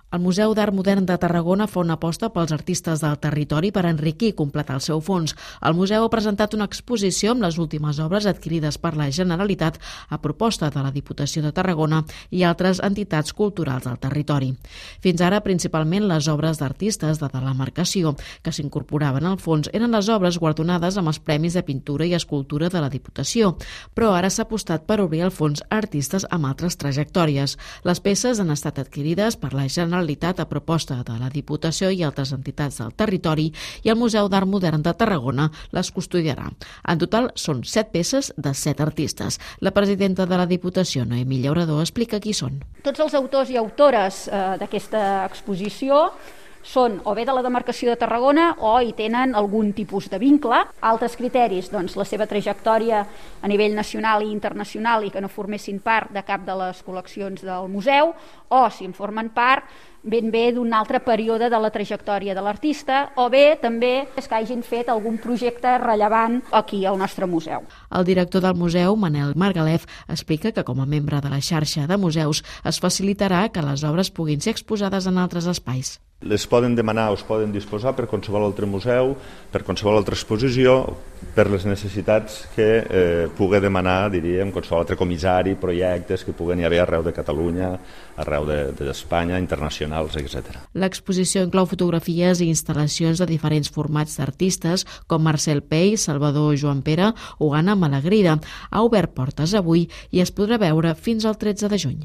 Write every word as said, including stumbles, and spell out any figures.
El Museu d'Art Modern de Tarragona fa una aposta pels artistes del territori per enriquir i completar el seu fons. El museu ha presentat una exposició amb les últimes obres adquirides per la Generalitat a proposta de la Diputació de Tarragona i altres entitats culturals del territori. Fins ara, principalment les obres d'artistes de la demarcació que s'incorporaven al fons eren les obres guardonades amb els Premis de Pintura i Escultura de la Diputació, però ara s'ha apostat per obrir el fons a artistes amb altres trajectòries. Les peces han estat adquirides per la Generalitat a proposta de la Diputació i altres entitats del territori i el Museu d'Art Modern de Tarragona les custodiarà. En total són set peces de set artistes. La presidenta de la Diputació, Noemí Llaurador, explica qui són. Tots els autors i autores eh, d'aquesta exposició són o bé de la demarcació de Tarragona o hi tenen algun tipus de vincle. Altres criteris, doncs la seva trajectòria a nivell nacional i internacional i que no formessin part de cap de les col·leccions del museu, o si en formen part ben bé d'un altre període de la trajectòria de l'artista, o bé també que hagin fet algun projecte rellevant aquí al nostre museu. El director del museu, Manel Margalef, explica que com a membre de la xarxa de museus es facilitarà que les obres puguin ser exposades en altres espais. Les poden demanar o es poden disposar per qualsevol altre museu, per qualsevol altra exposició, per les necessitats que eh, pugui demanar, diríem, qualsevol altre comissari, projectes que puguen hi haver arreu de Catalunya, arreu d'Espanya, de, internacionals, etcètera. L'exposició inclou fotografies i instal·lacions de diferents formats d'artistes com Marcel Pey, Salvador Joan Pere o Anna Malagrida. Ha obert portes avui i es podrà veure fins al tretze de juny.